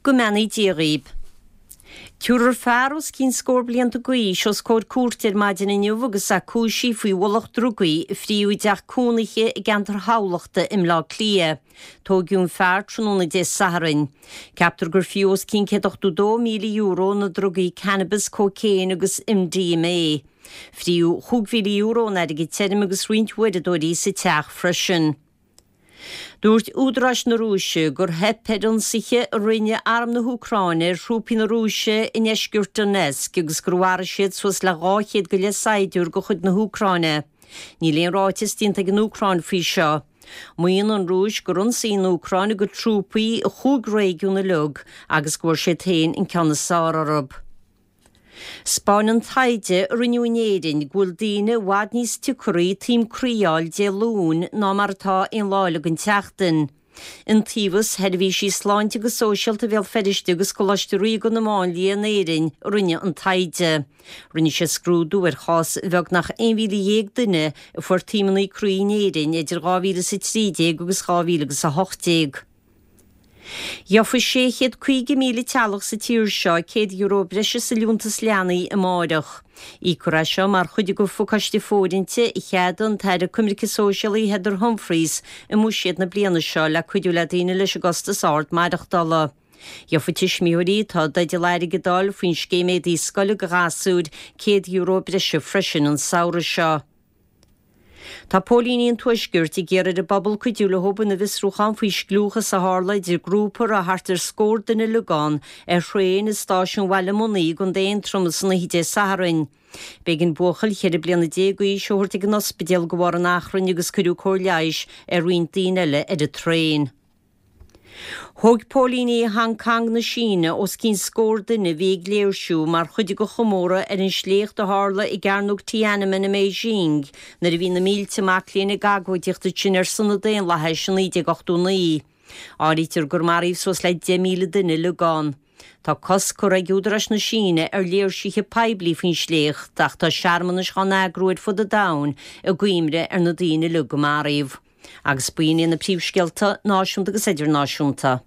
Go mbeannaí Dia dhaoib. Tabharfar fear os cionn scór blianta d'aois os comhair cúirte ar maidin inniu agus é cúisithe faoi mhullach drugaí a fríodh i dteach cónaithe i gceantar Thamhlachta i mBleá Cliath. Tóigeadh an fear tráthnóna Dé Sathairn. Ceaptar gur fríodh os cionn €182,000 na drugaí cannabis, cócaon agus MDMA. Fríodh €5,000 in airgead tirim agus roinnt uaireadóirí sa teach freisin. Dúirt údaráis na Rúise gur theip ar ionsaithe a rinne arm na hÚcráine ar thrúpaí na Rúise i ndeisceart Donetsk agus gur mharaigh siad suas le 200 go leith saighdiúir de chuid na hÚcráine. Níl aon ráiteas déanta ag an Úcráin faoi seo. Maíonn an Rúis gur ionsaigh an Úcráin a gcuid trúpaí i chúig réigiún uilig agus go bhfuair siad féin an ceann is fearr orthu. 'Spáineann taighde a rinneadh in Éirinn go bhfuil daoine i bhfad níos tiocaraí taom croí a fháil Dé Luain ná mar atá aon lá eile den tseachtain. Iontaobhas Sheirbhísí Sláinte agus Sóisialta Bhéal Feirste agus Coláiste Ríoga na Máinlia in Éirinn a rinne an taighde. Rinne siad scrúdú ar chás bheagnach 11,000 duine a fuair taomanna croí in Éirinn idir 2013 agus 2018. Gheofaidh 650,000 teaghlach sa tír seo €100 breise sa Liúntas Leanaí amáireach. Íocfar é seo mar chuid de phacáiste fóirithinte a cheadaigh an tAire Coimirce Sóisialaí Heather Humphreys i mbuiséad na bliana seo le cuidiú le daoine leis an gcostas ard maireachtála. Gheofaidh tuismitheoirí atá i dteideal airgead a fháil faoin scéim éadaí scoile do ghasúir €100 breise freisin an samhradh seo. Tá póilíní an Tuaiscirt ag iarraidh ar an bpobal cuidiú leo ina bhfiosrúchán faoi scliúchas a tharla idir grúpa a raibh thart ar scór duine uilig ann ar thraein i stáisiún Bhaile Munna i gContae Aontroma san oíche Dé Sathairn. B'éigean buachaill 14 bliana d'aois a thabhairt ag an ospidéal de bharr an achrainn agus cuireadh cóir leighis ar roinnt daoine eile ar an traein. Thóg póilíní Hong Cong na Síne os cionn scór duine a bhí ag léirsiú mar chuid de chomóradh ar an sléacht a tharla i gCearnóg Tiananmen i mBeijing nuair a bhí na mílte mac léinn ag agóidíocht ansin ar son an daonlathais i 1989. Áirítear gur maraíodh suas le 10,000 duine uilig ann. Tá cosc curtha ag údaráis na Síne ar léirsithe poiblí faoin sléacht ach tá searmanais á n-eagrú ar fud an domhain i gcuimhne ar na daoine uilig a maraíodh. Agus b'in iad na príomhscéalta náisiúnta agus idirnáisiúnta.